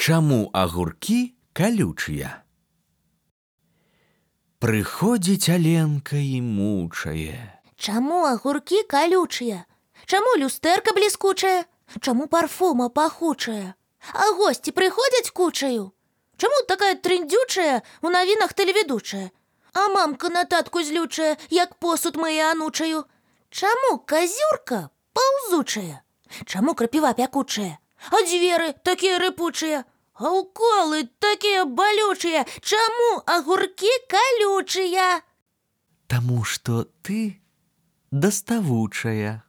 Чаму агуркі калючыя? Прыходзіць Аленка і мучае. Чаму агуркі калючыя? Чаму люстэрка бліскучая? Чаму парфума пахучая? А госці прыходзяць кучаю? Чаму такая трындзючая у навінах тэлеведучая? А мамка на татку злючая, як посуд мые анучаю? Чаму казюрка паўзучая? Чаму крапіва пякучая? А дзверы такія рыпучыя? А уколы такія балючыя? Чаму агуркі калючыя? Таму што ты даставучая.